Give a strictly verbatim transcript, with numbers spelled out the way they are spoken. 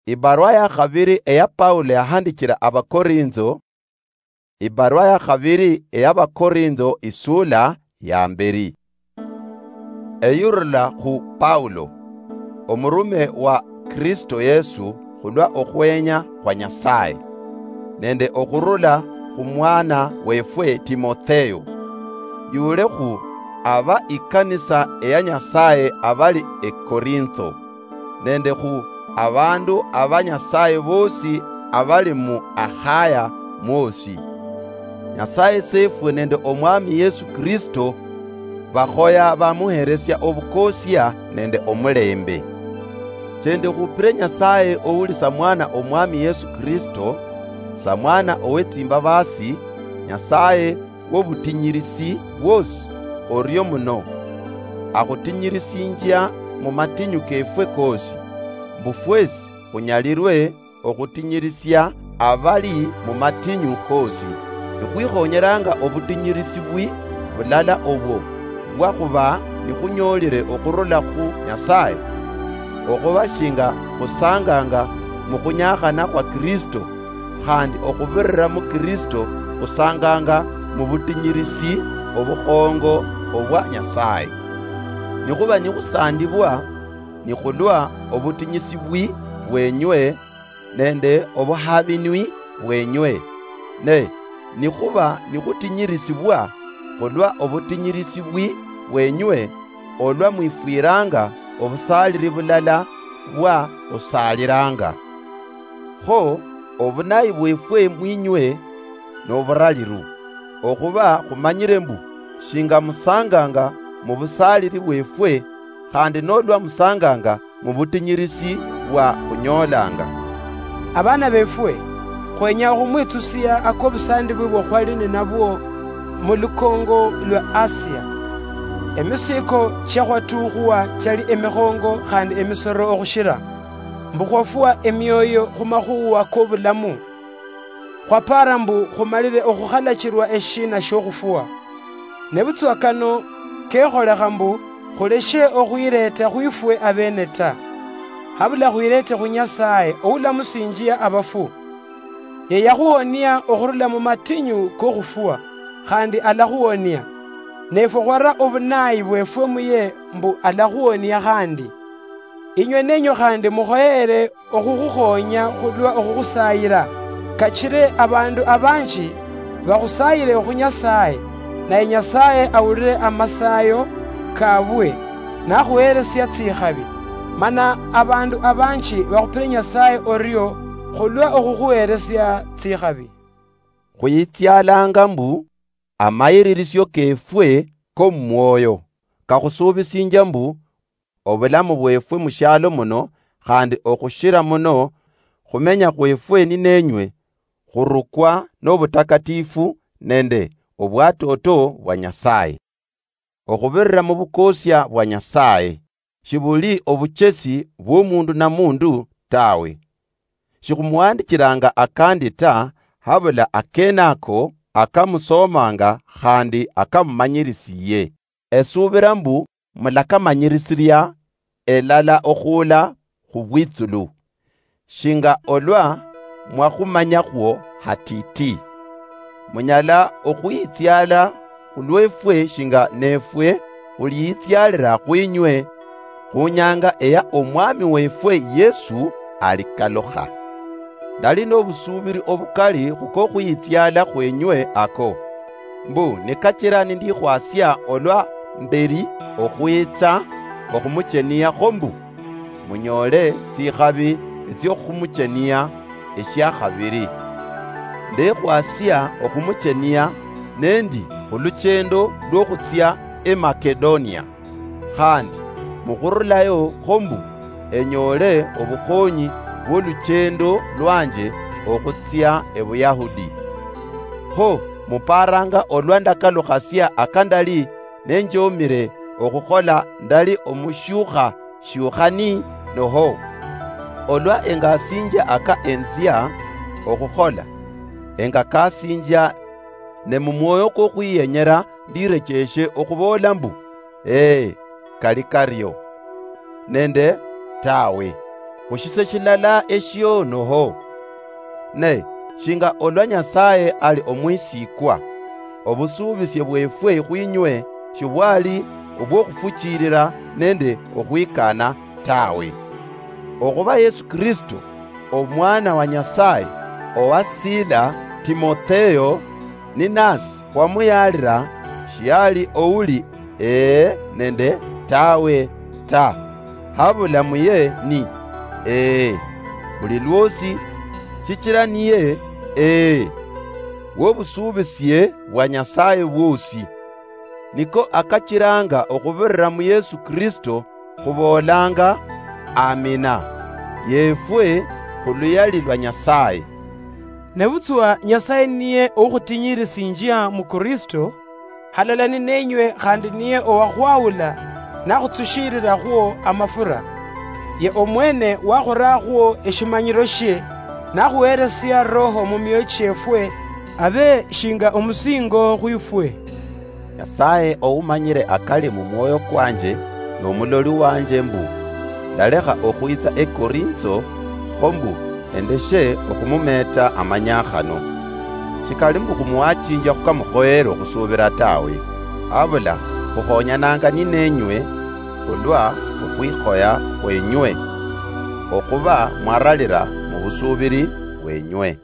Ibarua ya khabiri eya Paulo yahandichira Abakorintho. Ibarua ya khabiri eya Bakorintho, isula ya mberi. Eyurula khu Paulo, omurume wa Kristo Yesu khulwa okhwenya khwa Nyasaye, nende okhurula khu mwana wefwe Timotheo, yule khu aba ikanisa eya Nyasaye abali Ekorintho, nende khu abandu aba Nyasaye bosi abali mu Akhaya mwosi. Nyasaye Sefwe nende Omwami Yesu Kristo bakhoya bamuheresia obukosia nende omulembe. Chende khupire Nyasaye ouli samwana Omwami Yesu Kristo, samwana owe tsimbabasi, Nyasaye wobutinyirisi bwosi orio muno, akhutinyirisinjia mu matinyu kefwe kosi, mbu fwesi khunyalirwe okhutinyirisia abali mu matinyu kosi. Nikhwikhonyeranga obutinyirisi bwi bulala obwo, bwa khuba nikhunyolire okhurula khu Nyasaye, okhuba shinga khusanganga mu khunyakhana khwa Kristo, khandi okhubirira mu Kristo khusanganga mu butinyirisi obukhongo obwa Nyasaye. Nikhuba nikhusandibwa, nikhulwa obutinyisi bwi bwenywe nende obuhabinwi bwenywe. Ne nikhuba nikhutinyirisibwa khulwa obutinyirisi bwi bwenywe, olwa mwifwiranga obusaliri bulala bwa khusaaliranga. Kho obunayi bwefwe mwinywe noburaliru, okhuba khumanyire mbu shinga musanganga mu busaliri bwefwe, khandi nolwa musanganga mu butinyirisi bwa khunyolanga. Abana befwe, khwenya okhumwitsusia akobusandibwi bwa khwali ninabwo mu lukongo lwa Asia. Emisiiko chia khwatukhuwa chali emikhongo khandi emisoro okhushira, mbu khwafwa emioyo khu makhuwa kobulamu. Khwapaara mbu khumalire okhukhalachirwa eshiina shiokhufwa. Nebutswa kano kekholekha mbu khuleshe okhwireeta khwifwe abeene ta, habula khwireete khu Nyasaye oulamusinjia abafu. Ye yakhuwonia okhurula mu matinyu kokhufwa, khandi alakhuwonia. Nefwe khwara obunayi bwefwe muye mbu alakhuwonia khandi. Inywe nenywe khandi mukhoyere okhukhukhonya khulwa okhukhusayira, kachire abandu abanji bakhusayire khu Nyasaye, naye Nyasaye awulire amasayo kabwe, nakhuheresia tsikhabi. Mana abandu abanji bakhupire Nyasaye orio khulwa okhukhuheresia tsikhabi. Khwitsialanga mbu amayiririsio kefwe komumwoyo kakhusubisinjia mbu obulamu bwefwe mushialo muno, khandi okhushira muno khumenya khwefwe ninenywe, khurukwa nobutakatifu nende obwatoto bwa Nyasaye. Okhubirira mubukosia bwa Nyasaye, shibuli obuchesi bwomundu na mundu tawe. Shikhumuhandichiranga akandi ta, habula akenako akamusomanga khandi akamumanyirisiye. Esubira mbu mulakamanyirisiria elala okhula khubwitsulu, shinga olwa mwakhumanyakhwo hatiti. Munyala okhwitsiala khulwefwe shinga nefwe khulitsialira khwinywe khunyanga eya Omwami wefwe Yesu alikalukha. Ndali nobusubiri obukali khukokhwitsiala khwenywe ako, mbu nikachira nindikhwasia olwa mberi okhwitsa okhumuchenia kho mbu munyoole tsikhabi etsiokhumuchenia eshiakhabiri. Ndekhwasia okhumuchenia nendi khuluchendo lwokhutsia eMakedonia, khandi mukhurulayo kho mbu enyoole obukhonyi bwoluchendo lwanje okhutsia eBuyahudi. Kho muparanga olwa ndakalukhasia akandali nenjomire okhukhola ndali omushiukha shiukhani noho? Olwa engasinjia aka enzia okhukhola, engakasinjia, ne mumwoyo kwokhwiyenyera ndirecheshe okhuboola mbu, ee, kali kario, nende, tawe. khushise shilala eshio noho. Ne shinga olwa Nyasaye ali omwisikwa, obusuubisye bwefwe khwinywe shibwali obwokhufuchilila nende okhwikana tawe. Okhuba Yesu Kristo, Omwana wa Nyasaye, owa Sila, Timotheo, ninasi khwamuyaalila, shiali ouli "Ee" nende "Tawe" ta, habula muye ni "Ee" buli lwosi, shichila niye "Ee" wobusuubisye bwa Nyasaye bwosi. Niko akachilanga okhubirira mu Yesu Kristo khuboolanga, "Amina," yeefwe khuluyali lwa Nyasaye. Nebutswa Nyasaye niye oukhutinyirisinjia mu Kristo, halala nineenywe khandi niye owakhwawula nakhutsushiilirakhwo amafura. Ye omwene wakhurakhwo eshimanyiroshie, nakhuheresia Roho mumioyo chiefwe, abe shinga omusingo khwifwe. Nyasaye oumanyire akali mumwoyo kwanje nomuloli wanje mbu ndalekha okhwitsa eKorintho, kho mbu endeshe okhumumeeta amanyakhano. Shikali mbu khumuwachinjia khukamukhoyere okhusubira tawe, habula khukhonyananga nineenywe khulwa okhwikhoya khwenywe, okhuba mwaralira mubusubiri bwenywe.